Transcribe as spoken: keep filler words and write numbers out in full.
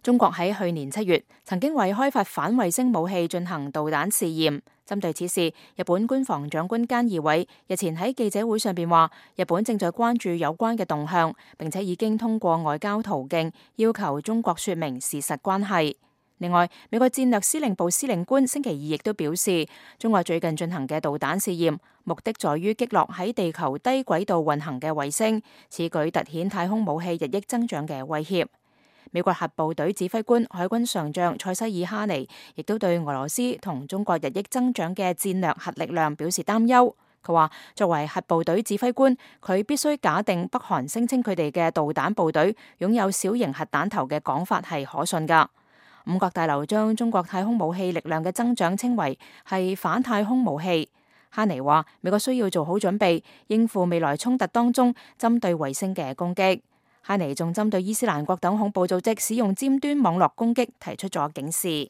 中國喺去年七月曾經為開發反衛星武器進行導彈試驗。針對此事，日本官房長官菅義偉日前喺記者會上邊話，日本正在關注有關嘅動向，並且已經通過外交途徑要求中國說明事實關係。另外，美國戰略司令部司令官星期二亦都表示，中國最近進行嘅導彈試驗，目的在於擊落喺地球低軌道運行嘅衛星，此舉凸顯太空武器日益增長嘅威脅。美國核部隊指揮官海軍上將塞西爾哈尼亦都對俄羅斯同中國日益增長嘅戰略核力量表示擔憂。佢話，作為核部隊指揮官，佢必須假定北韓聲稱佢哋嘅導彈部隊擁有小型核彈頭嘅講法係可信㗎。五角大樓將中國太空武器力量嘅增長稱為係反太空武器。哈尼話，美國需要做好準備，應付未來衝突當中針對衛星嘅攻擊。哈尼仲針對伊斯蘭國等恐怖組織使用尖端網絡攻擊提出咗警示。